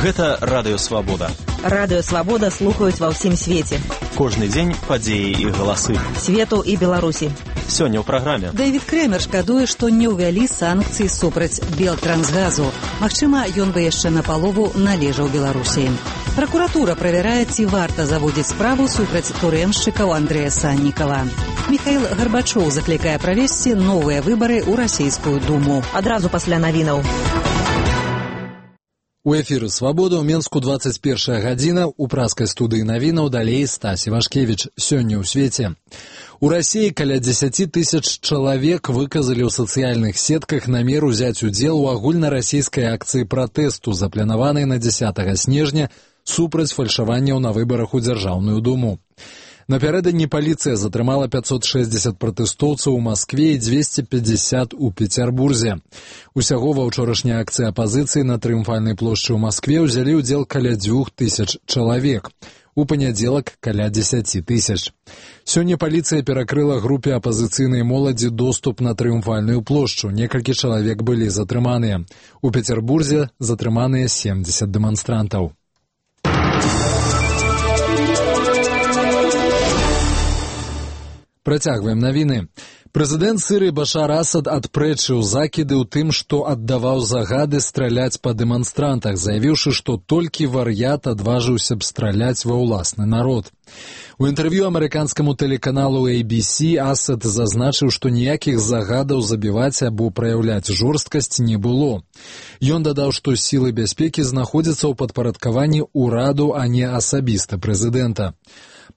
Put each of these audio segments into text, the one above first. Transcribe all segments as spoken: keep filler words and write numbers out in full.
Гэта Радыё Свабода. Радыё Свабода слухаюць ва ўсім свеце. Кожны дзень падзеі і галасы. Свету і Беларусі. Сёння ў праграме. Дэвід Крэмер шкадуе, што не ўвялі санкцыі супраць Белтрансгазу. Магчыма, ён бы яшчэ напалову належаў Беларусі. Пракуратура правярае, ці варта заводзіць справу супраць турэмшчыкаў Андрэя Саннікава. Міхаіл Гарбачоў заклікае правесці новыя выбары ў расійскую думу. Адразу пасля навінаў. У эфіры «Свабода» ў Менску дваццаць першая гадзіна, у праскай студыі навінаў далей Стась Івашкевіч. Сёння ў свеце. У Расіі каля дзесяці тысяч чалавек выказалі ў сацыяльных сетках намер узяць удзел у агульнарасійскай акцыі пратэсту, запланаванай на дзесятага снежня супраць фальшаванняў на выбарах у Дзяржаўную думу. Напярэдадні паліцыя затрымала пяцьсот шэсцьдзесят пратэстоўцаў у Маскве і дзвесце пятьдесят у Пецярбурзе. Усяго ва ўчорашняй акцыі апазіцыі на Трыумфальнай плошчы ў Маскве ўзялі ўдзел каля дзвюх тысяч чалавек. У панядзелак каля дзесяці тысяч. Сёння паліцыя перакрыла групе апазіцыйнай моладзі доступ на Трыумфальную плошчу. Некалькі чалавек былі затрыманыя. У Пецярбурзе затрыманыя семдзесят дэманстрантаў. Працягваем навіны. Прэзідэнт Сірыі Башар Асад адпрэчыў закіды ў тым, што аддаваў загады страляць па дэманстрантах, заявіўшы, што толькі вар'ят адважыўся б страляць ва ўласны народ. У інтэрв'ю амерыканскаму тэлеканалу эй би си Асад зазначыў, што ніякіх загадаў забіваць або праяўляць жорсткасць не было. Ён дадаў, што сілы бяспекі знаходзяцца ў падпарадкаванні ўраду, а не асабіста прэзідэнта.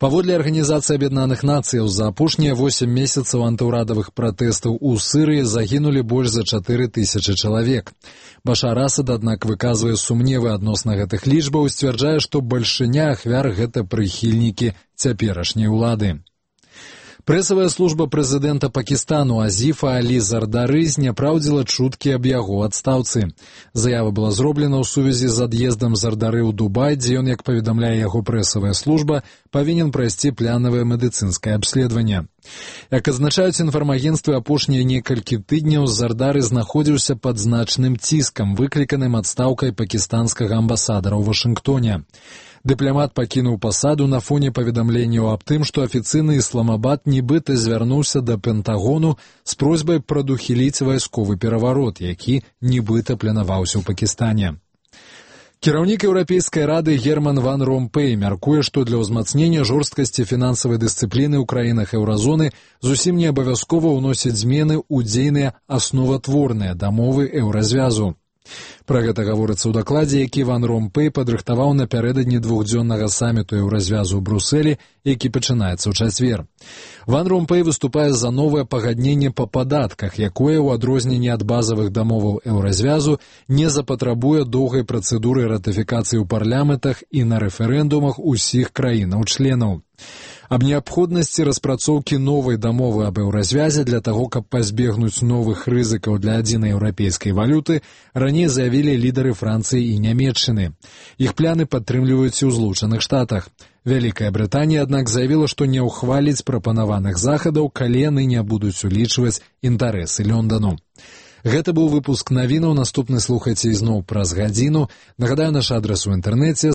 Паводле Арганізацыі Аб'яднаных Нацыяў, за апошнія восем месяцаў антыўрадавых пратэстаў у Сірыі загінулі больш за чатыры тысячы чалавек. Башар Асад, аднак, выказвае сумневы адносна гэтых лічбаў і сцвярджае, што бальшыня ахвяр гэта прыхільнікі цяперашняй улады. Прэсавая служба прэзідэнта Пакістану Азіфа Алі Зардары зняпраўдзіла чуткі аб яго адстаўцы. Заява была зроблена ў сувязі з ад'ездам Зардары ў Дубай, дзе ён, як паведамляе яго прэсавая служба, павінен прайсці планавае медыцынскае абследаванне. Як адзначаюць інфармагенцтвы, апошнія некалькі тыдняў Зардары знаходзіўся пад значным ціскам, выкліканым адстаўкай пакістанскага амбасадара ў Вашынгтоне. Дыпламат пакінуў пасаду на фоне паведамленняў аб тым, што афіцыйны Ісламабад нібыта звярнуўся да Пентагону з просьбай прадухіліць вайсковы пераварот, які нібыта планаваўся ў Пакістане. Кіраўнік Еўрапейскай рады Герман Ван Ромпэй мяркуе, што для ўзмацнення жорсткасці фінансавай дысцыпліны ў краінах еўразоны зусім не абавязкова ўносіць змены ў дзейныя асноватворныя дамовы еўразвязу. Пра гэта гаворыцца ў дакладзе, які Ван Ромпэй падрыхтаваў напярэдадні двухдзённага саміту еўразвязу ў Брусэлі, які пачынаецца ў чацвер. Ван Ромпэй выступае за новае пагадненне па падатках, якое, у адрозненні ад базавых дамоваў еўразвязу, не запатрабуе доўгай працэдуры ратыфікацыі ў парламентах і на рэферэндумах усіх краінаў-членаў. Аб неабходнасці распрацоўкі новай дамовы аб еўразвязе для таго, каб пазбегнуць новых рызыкаў для адзінай еўрапейскай валюты, раней заявілі лідары Францыі і Нямецчыны. Іх пляны падтрымліваюць і ў Злучаных Штатах. Вялікая Брытанія, аднак, заявіла, што не ўхваліць прапанаваных захадаў, калі яны не будуць улічваць інтарэсы Лондану. Гэта быў выпуск навінаў. Наступны слухайце ізноў праз гадзіну. Нагадаю, наш адрас у інтэрнэце